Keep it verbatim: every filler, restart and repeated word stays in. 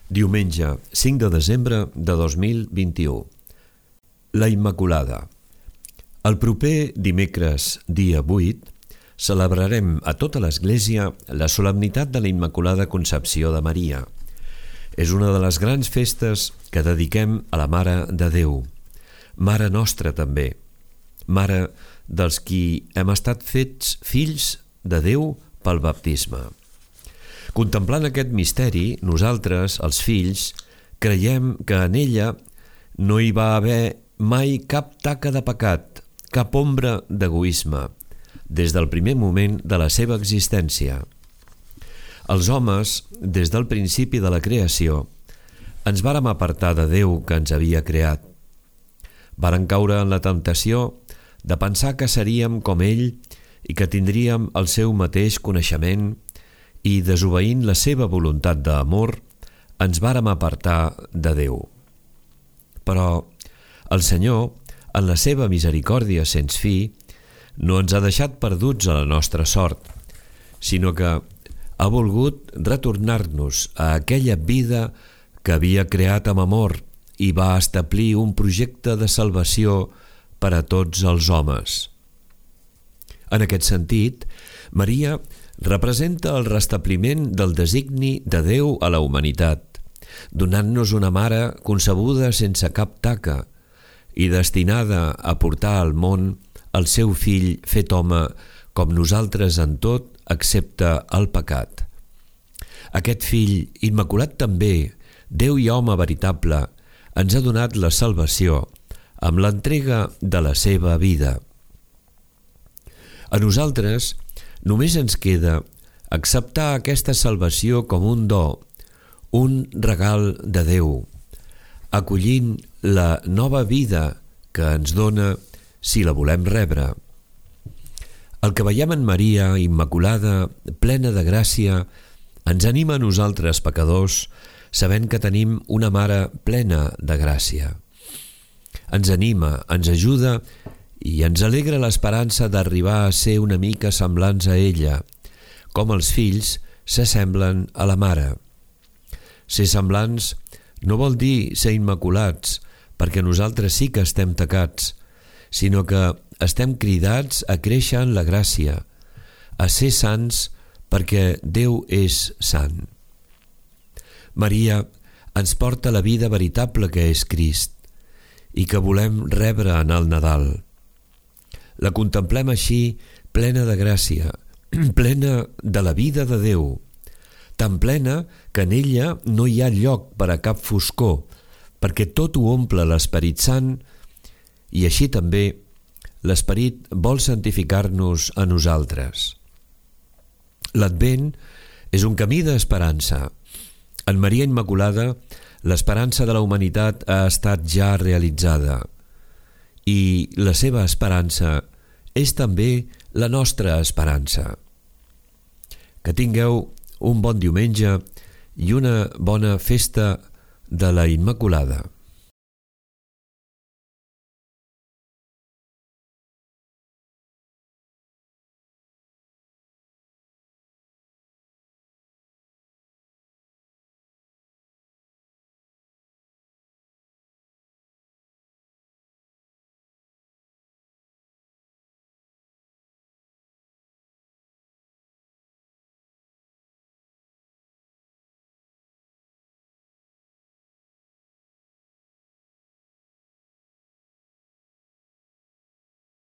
Diumenge, cinc de desembre de dos mil vint-i-u. La Immaculada. El proper dimecres, dia vuit, celebrarem a tota l'Església la solemnitat de la Immaculada Concepció de Maria. És una de les grans festes que dediquem a la Mare de Déu, Mare nostra també, Mare dels qui hem estat fets fills de Déu pel baptisme. Contemplant aquest misteri, nosaltres, els fills, creiem que en ella no hi va haver mai cap taca de pecat, cap ombra d'egoisme, des del primer moment de la seva existència. Els homes, des del principi de la creació, ens vàrem apartar de Déu que ens havia creat. Varen caure en la temptació de pensar que seríem com ell i que tindríem el seu mateix coneixement i, desobeint la seva voluntat d'amor, ens vàrem apartar de Déu. Però el Senyor, en la seva misericòrdia sens fi, no ens ha deixat perduts a la nostra sort, sinó que ha volgut retornar-nos a aquella vida que havia creat amb amor i va establir un projecte de salvació per a tots els homes. En aquest sentit, Maria representa el restabliment del designi de Déu a la humanitat, donant-nos una mare concebuda sense cap taca i destinada a portar al món el seu fill fet home com nosaltres en tot excepte el pecat. Aquest fill, immaculat també, Déu i home veritable, ens ha donat la salvació amb l'entrega de la seva vida. A nosaltres només ens queda acceptar aquesta salvació com un do, un regal de Déu, acollint la nova vida que ens dona si la volem rebre. El que veiem en Maria, immaculada, plena de gràcia, ens anima a nosaltres, pecadors, sabent que tenim una mare plena de gràcia. Ens anima, ens ajuda i ens alegra l'esperança d'arribar a ser una mica semblants a ella, com els fills s'assemblen a la mare. Ser semblants no vol dir ser immaculats, perquè nosaltres sí que estem tacats, sinó que estem cridats a créixer en la gràcia, a ser sants perquè Déu és sant. Maria ens porta la vida veritable que és Crist i que volem rebre en el Nadal. La contemplem així plena de gràcia, plena de la vida de Déu, tan plena que en ella no hi ha lloc per a cap foscor, perquè tot ho omple l'Esperit Sant i així també l'Esperit vol santificar-nos a nosaltres. L'Advent és un camí d'esperança. En Maria Immaculada, l'esperança de la humanitat ha estat ja realitzada i la seva esperança és també la nostra esperança. Que tingueu un bon diumenge i una bona festa de la Immaculada.